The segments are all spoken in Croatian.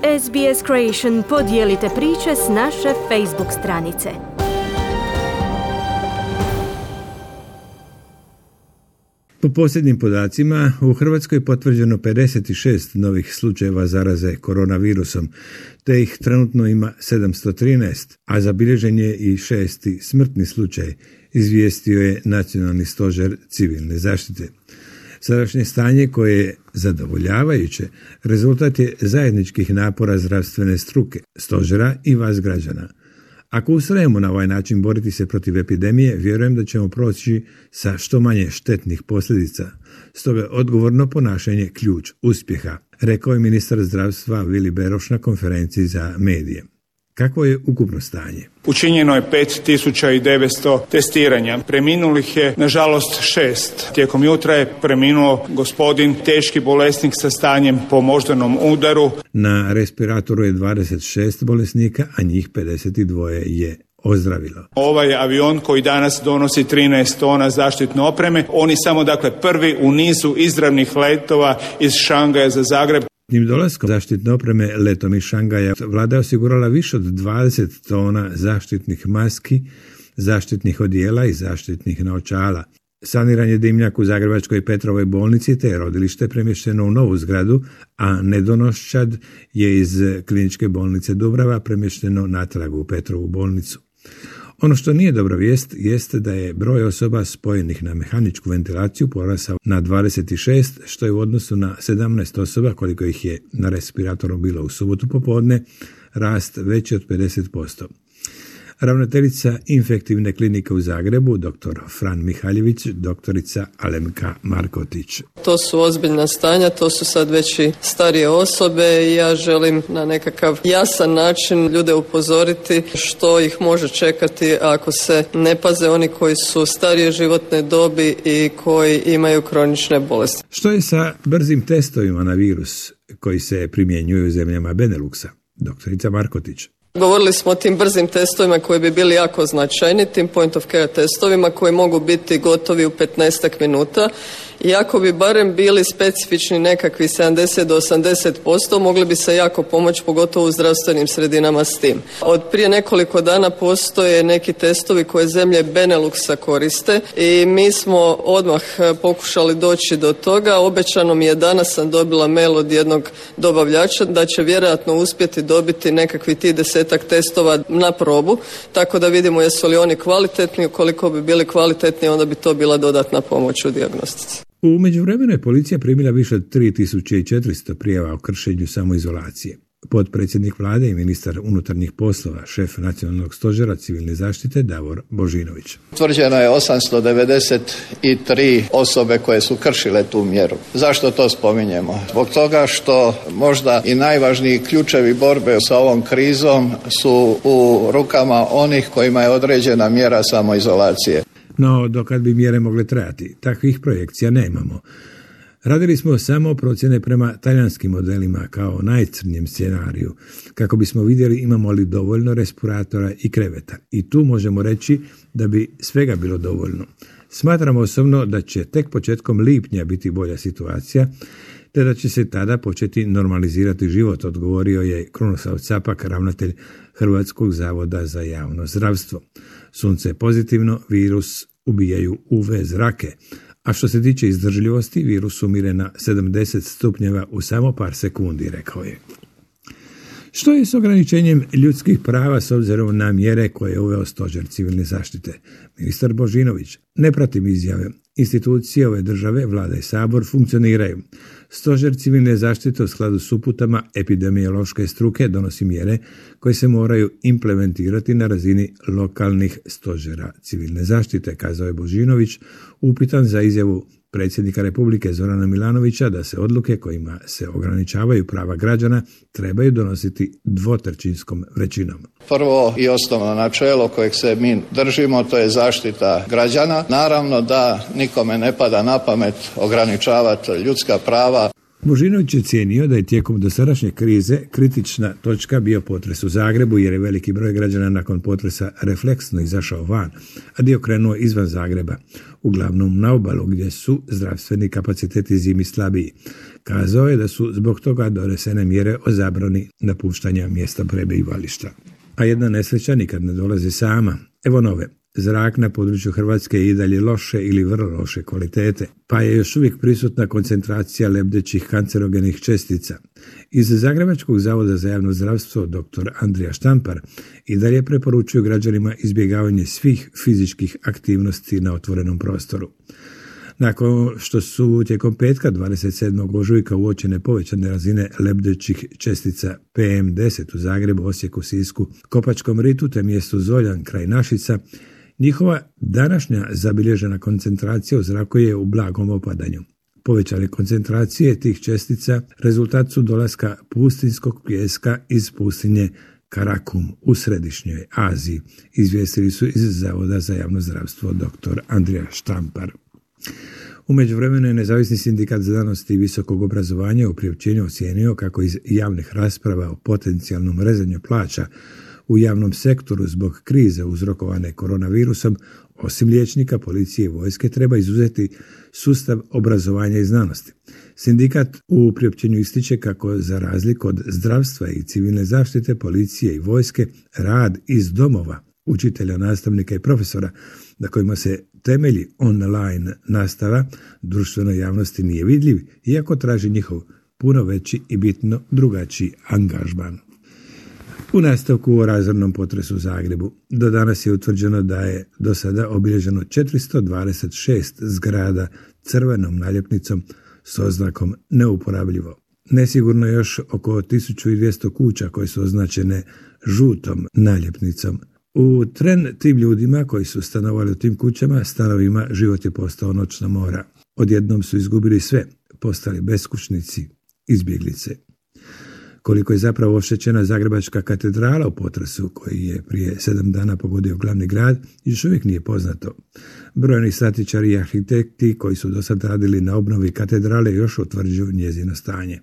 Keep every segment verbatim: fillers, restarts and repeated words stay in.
S B S Creation podijelite priče s naše Facebook stranice. Po posljednjim podacima, u Hrvatskoj je potvrđeno pedeset šest novih slučajeva zaraze koronavirusom, te ih trenutno ima sedamsto trinaest, a zabilježen je i šesti smrtni slučaj, izvijestio je Nacionalni stožer civilne zaštite. Sadašnje stanje, koje je zadovoljavajuće, rezultat je zajedničkih napora zdravstvene struke, stožera i vas građana. Ako ustrajemo na ovaj način boriti se protiv epidemije, vjerujem da ćemo proći sa što manje štetnih posljedica. Stoga je odgovorno ponašanje ključ uspjeha, rekao je ministar zdravstva Vili Beroš na konferenciji za medije. Kakvo je ukupno stanje? Učinjeno je pet tisuća devetsto testiranja. Preminulih je, nažalost, šest. Tijekom jutra je preminuo gospodin, teški bolesnik sa stanjem po moždanom udaru. Na respiratoru je dvadeset šest bolesnika, a njih pedeset dva je ozdravilo. Ovaj avion koji danas donosi trinaest tona zaštitne opreme, on je samo dakle prvi u nizu izravnih letova iz Šangaja za Zagreb. Njim dolaskom zaštitne opreme letom iz Šangaja vlada je osigurala više od dvadeset tona zaštitnih maski, zaštitnih odijela i zaštitnih naočala. Saniran je dimnjak u Zagrebačkoj Petrovoj bolnici, te je rodilište premješteno u novu zgradu, a nedonoščad je iz kliničke bolnice Dubrava premješteno natrag u Petrovu bolnicu. Ono što nije dobra vijest jeste da je broj osoba spojenih na mehaničku ventilaciju porasao na dvadeset šest, što je u odnosu na sedamnaest osoba koliko ih je na respiratoru bilo u subotu popodne, rast veći od pedeset posto. Ravnateljica infektivne klinike u Zagrebu, doktor Fran Mihaljević, doktorica Alemka Markotić. To su ozbiljna stanja, to su sad već i starije osobe i ja želim na nekakav jasan način ljude upozoriti što ih može čekati ako se ne paze, oni koji su starije životne dobi i koji imaju kronične bolesti. Što je sa brzim testovima na virus koji se primjenjuju u zemljama Beneluxa? Doktorica Markotić. Govorili smo o tim brzim testovima koji bi bili jako značajni, tim point of care testovima koji mogu biti gotovi u petnaestak minuta. I ako bi barem bili specifični nekakvi sedamdeset do osamdeset posto, mogli bi se jako pomoći, pogotovo u zdravstvenim sredinama s tim. Od prije nekoliko dana postoje neki testovi koje zemlje Beneluxa koriste i mi smo odmah pokušali doći do toga. Obećano mi je, danas sam dobila mail od jednog dobavljača da će vjerojatno uspjeti dobiti nekakvi ti desetak testova na probu, tako da vidimo jesu li oni kvalitetni. Ukoliko bi bili kvalitetni, onda bi to bila dodatna pomoć u dijagnostici. U međuvremenu je policija primila više od tri tisuće četiristo prijava o kršenju samoizolacije. Potpredsjednik vlade i ministar unutarnjih poslova, šef Nacionalnog stožera civilne zaštite Davor Božinović. Utvrđeno je osamsto devedeset tri osobe koje su kršile tu mjeru. Zašto to spominjemo? Zbog toga što možda i najvažniji ključevi borbe sa ovom krizom su u rukama onih kojima je određena mjera samoizolacije. No, dokad bi mjere mogle trajati, takvih projekcija nemamo. Radili smo samo procjene prema talijanskim modelima kao najcrnjem scenariju, kako bismo vidjeli imamo li dovoljno respiratora i kreveta. I tu možemo reći da bi svega bilo dovoljno. Smatramo osobno da će tek početkom lipnja biti bolja situacija, te da će se tada početi normalizirati život, odgovorio je Krunoslav Capak, ravnatelj Hrvatskog zavoda za javno zdravstvo. Sunce je pozitivno, virus ubijaju U V zrake, a što se tiče izdržljivosti, virus umire na sedamdeset stupnjeva u samo par sekundi, rekao je. Što je s ograničenjem ljudskih prava s obzirom na mjere koje je uveo stožer civilne zaštite? Ministar Božinović: ne pratim izjave. Institucije ove države, vlada i sabor, funkcioniraju. Stožer civilne zaštite u skladu s uputama epidemiološke struke donosi mjere koje se moraju implementirati na razini lokalnih stožera civilne zaštite, kazao je Božinović, upitan za izjavu predsjednika Republike Zorana Milanovića da se odluke kojima se ograničavaju prava građana trebaju donositi dvotrećinskom većinom. Prvo i osnovno načelo kojeg se mi držimo, to je zaštita građana. Naravno da nikome ne pada na pamet ograničavati ljudska prava. Božinović je cijenio da je tijekom dosadašnje krize kritična točka bio potres u Zagrebu, jer je veliki broj građana nakon potresa refleksno izašao van, a dio krenuo izvan Zagreba, uglavnom na obalu gdje su zdravstveni kapaciteti zimi slabiji. Kazao je da su zbog toga donesene mjere o zabrani napuštanja mjesta prebivališta. A jedna nesreća nikad ne dolazi sama. Evo nove. Zrak na području Hrvatske je i dalje loše ili vrlo loše kvalitete, pa je još uvijek prisutna koncentracija lebdećih kancerogenih čestica. Iz Zagrebačkog zavoda za javno zdravstvo dr. Andrija Štampar i dalje preporučuju građanima izbjegavanje svih fizičkih aktivnosti na otvorenom prostoru. Nakon što su tijekom petka dvadeset sedmog ožujka uočene povećane razine lebdećih čestica P M deset u Zagrebu, Osijeku, Sisku, Kopačkom ritu te mjestu Zoljan kraj Našica, njihova današnja zabilježena koncentracija u zraku je u blagom opadanju. Povećane koncentracije tih čestica rezultat su dolaska pustinskog pijeska iz pustinje Karakum u središnjoj Aziji, izvijestili su iz Zavoda za javno zdravstvo dr. Andrija Štampar. U međuvremenu je Nezavisni sindikat znanosti i visokog obrazovanja u priopćenju ocijenio kako iz javnih rasprava o potencijalnom rezanju plaća u javnom sektoru zbog krize uzrokovane koronavirusom, osim liječnika, policije i vojske, treba izuzeti sustav obrazovanja i znanosti. Sindikat u priopćenju ističe kako za razliku od zdravstva i civilne zaštite, policije i vojske, rad iz domova učitelja, nastavnika i profesora na kojima se temelji online nastava društvenoj javnosti nije vidljiv, iako traži njihov puno veći i bitno drugačiji angažman. U nastavku o razornom potresu u Zagrebu do danas je utvrđeno da je do sada obilježeno četiristo dvadeset šest zgrada crvenom naljepnicom s oznakom neuporabljivo. Nesigurno je još oko tisuću dvjesto kuća koje su označene žutom naljepnicom. U tren tim ljudima koji su stanovali u tim kućama, stanovima, život je postao noćna mora. Odjednom su izgubili sve, postali beskućnici, izbjeglice. Koliko je zapravo oštećena Zagrebačka katedrala u potresu koji je prije sedam dana pogodio glavni grad, još uvijek nije poznato. Brojni statičari i arhitekti koji su do sad radili na obnovi katedrale još utvrđuju njezino stanje.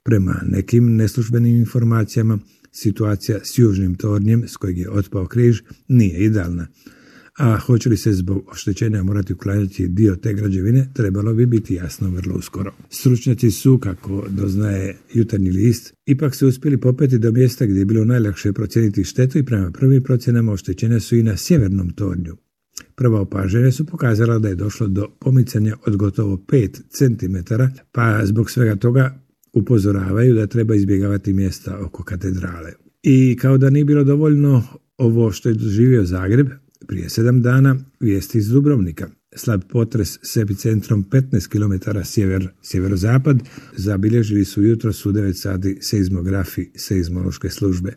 Prema nekim neslužbenim informacijama, situacija s južnim tornjem s kojeg je otpao križ nije idealna, a hoće li se zbog oštećenja morati uklanjati dio te građevine, trebalo bi biti jasno vrlo uskoro. Stručnjaci su, kako doznaje Jutarnji list, ipak se uspjeli popeti do mjesta gdje je bilo najlakše procijeniti štetu i prema prvim procjenama oštećenja su i na sjevernom tornju. Prva opažanja su pokazala da je došlo do pomicanja od gotovo pet centimetara, pa zbog svega toga upozoravaju da treba izbjegavati mjesta oko katedrale. I kao da nije bilo dovoljno ovo što je doživio Zagreb, prije sedam dana vijesti iz Dubrovnika. Slab potres s epicentrom petnaest kilometara sjever, sjeverozapad zabilježili su jutros u devet sati seizmografi seizmološke službe.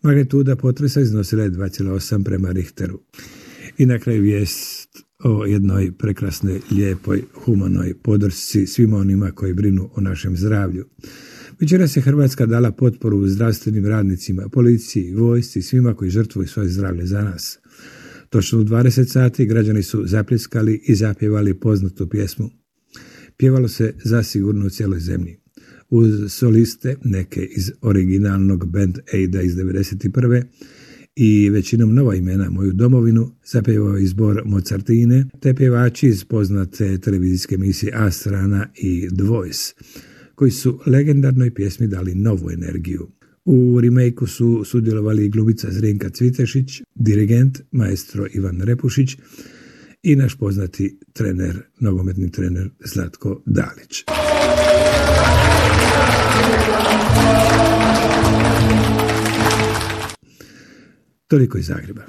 Magnituda potresa iznosila je dva zarez osam prema Richteru. I na kraju vijest o jednoj prekrasnoj, lijepoj, humanoj podršci svima onima koji brinu o našem zdravlju. Večeras je Hrvatska dala potporu zdravstvenim radnicima, policiji, vojsci, svima koji žrtvuju svoje zdravlje za nas. Točno u dvadeset sati građani su zapljeskali i zapjevali poznatu pjesmu. Pjevalo se zasigurno u cijeloj zemlji. Uz soliste, neke iz originalnog Band Aida iz devedeset prve i većinom nova imena Moju domovinu, zapjevao je zbor Mozartine, te pjevači iz poznate televizijske emisije A Strana i The Voice, koji su legendarnoj pjesmi dali novu energiju. U remake-u su sudjelovali glumica Zrinka Cvitešić, dirigent maestro Ivan Repušić i naš poznati trener, nogometni trener Zlatko Dalić. Toliko iz Zagreba.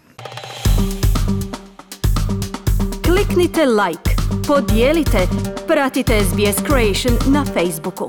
Kliknite like, podijelite, pratite S B S Creation na Facebooku.